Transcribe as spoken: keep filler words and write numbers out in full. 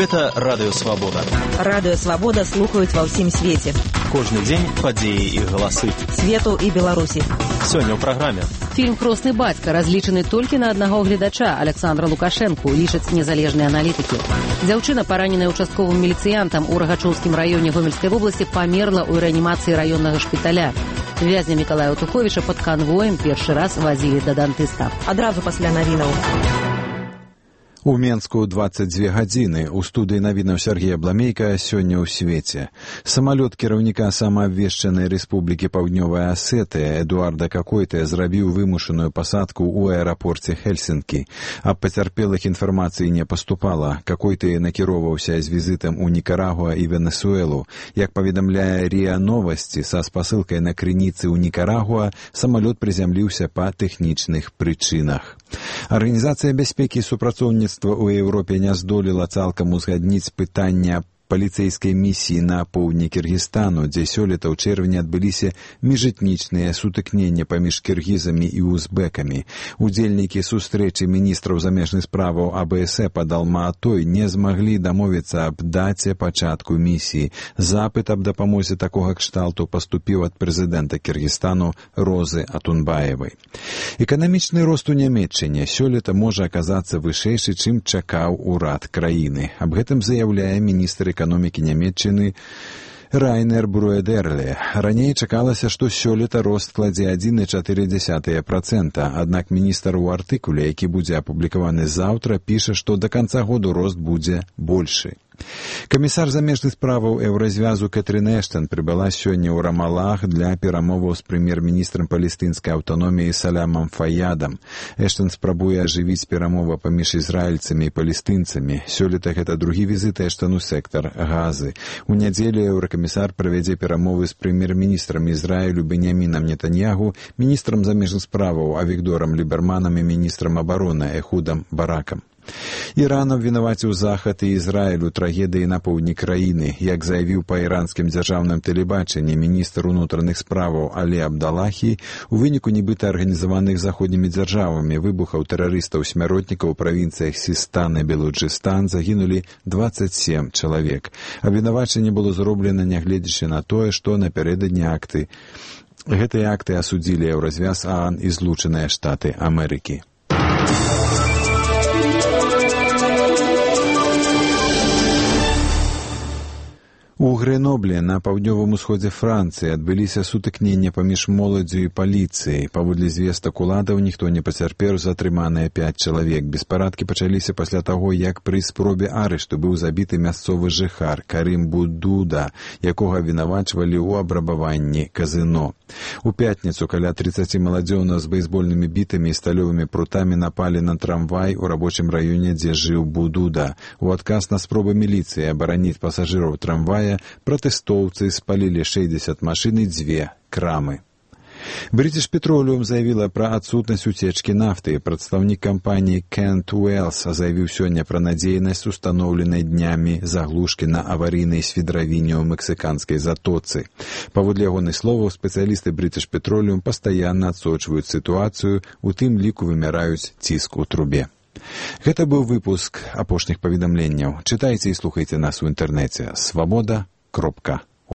Гэта Радыё Свабода. Радыё Свабода слухаюць ва ўсім свеце. Кожны дзень падзеі і галасы. Свету і Беларусі. Сёння ў праграме. Фільм «Хросны бацька» разлічаны толькі на аднаго гледача, Александра Лукашэнку, лічаць незалежныя аналітыкі. Дзяўчына, параненая участковым міліцыянтам у Рагачоўскім раёне Гомельскай вобласці, памерла ў рэанімацыі раённага шпіталя. Вязня Мікалая Туховіча пад канвоем першы раз вазілі да дантыста. Адразу пасля навінаў. У Менску дваццаць дзве гадзіны. У студыі навінаў Сергея Бламейка сёння ў свеце. Самалёт кіраўніка самаабвешчанай Рэспублікі Паўднёвая Асетыя Эдуарда Какойта зрабіў вымушаную пасадку ў аэрапорце Хельсінкі. Аб пацярпелых інфармацыі не паступала. Какойта накіроўваўся з візітам у Нікарагуа і Венесуэлу. Як паведамляе РИА Новасці, са спасылкай на крыніцы ў Нікарагуа самалёт прызямліўся па тэхнічных прычынах. Арганізацыя бяспекі і супрацоўніцтва ў Еўропе не здолела цалкам узгадніць пытання паліцэйскай місіі на поўдні Кіргізстану, дзе сёлета ў чэрвені адбыліся міжэтнічныя сутыкнення паміж кіргізамі і узбекамі. Удзельнікі сустрэчы міністраў замежных справаў АБС пад Алма-Атой не змаглі дамовіцца аб даце пачатку місіі. Запыт аб дапамозе такога кшталту паступіў ад прэзідэнта Кіргізстану Розы Атунбаевай. Эканамічны рост у Нямецчыне сёлета можа аказацца вышэйшы, чым чакаў урад краіны. Аб гэтым заяўляе міністр эканомікі Нямецчыны Райнер Бруэдерле. Раней чакалася, што сёлета рост складзе адзін і чатыры дзесятыя працэнта, аднак міністр у артыкуле, які будзе апублікаваны заўтра, піша, што да канца году рост будзе большы. Камісар замежных справаў Еўразвязу Кэтрин Эштон прыбыла сёння ў Рамалах для перамоваў з прэм'ер-міністрам палестынскай аўтаноміі Салямам Фаядам. Эштон спрабуе ажывіць перамовы паміж ізраільцамі і палестынцамі. Сёлета гэта другі візіт Эштон у сектар Газы. У нядзелю еўракамісар правядзе перамовы з прэм'ер-міністрам Ізраілю Беньямінам Нетаньягу, міністрам замежных справаў Авігдорам Ліберманам і міністрам абароны Эхудам Баракам. Іран абвінаваціў Захад і Ізраіль у трагедыі на поўдні краіны. Як заявіў па іранскім дзяржаўным тэлебачанні міністр унутраных справаў Алі Абдалахі, у выніку нібыта арганізаваных заходнімі дзяржавамі выбухаў тэрарыстаў-смяротнікаў у правінцыях Сістан і Белуджыстан загінулі дваццаць сем чалавек. Абвінавачанне было зроблена нягледзячы на тое, што напярэдадні акты. Гэтыя акты асудзілі Еўразвяз, ААН і Злучаныя Штаты Амерыкі. У Грэнобле на паўднёвым усходзе Францыі адбыліся сутыкнення паміж моладдзю і паліцыяй. Паводле звестак уладаў ніхто не пацярпеў, затрыманыя пяць чалавек. Беспарадкі пачаліся пасля таго, як пры спробе арышту быў забіты мясцовы жыхар Карым Будуда, якога абвінавачвалі ў абрабаванні казыно. У пятніцу каля трыццаці маладзёнаў з бейсбольнымі бітамі і сталёвымі прутамі напалі на трамвай у рабочым раёне, дзе жыў Будуда. У адказ на спробы міліцыі абараніць пасажыраў трамвая пратэстоўцы спалілі шэсцьдзесят машын і дзве крамы. British Petroleum заявіла пра адсутнасць уцечкі нафты. Прадстаўнік кампаніі Кент Уэллс заявіў сёння пра надзейнасць устаноўленай днямі заглушкі на аварыйнай свідравіне ў мексіканскай затоцы. Паводле ягоных словаў, спецыялісты British Petroleum пастаянна адсочваюць сітуацыю, у тым ліку вымяраюць ціск у трубе. Гэта быў выпуск апошніх паведамленняў. Чытайце і слухайце нас у інтэрнэце свабода кропка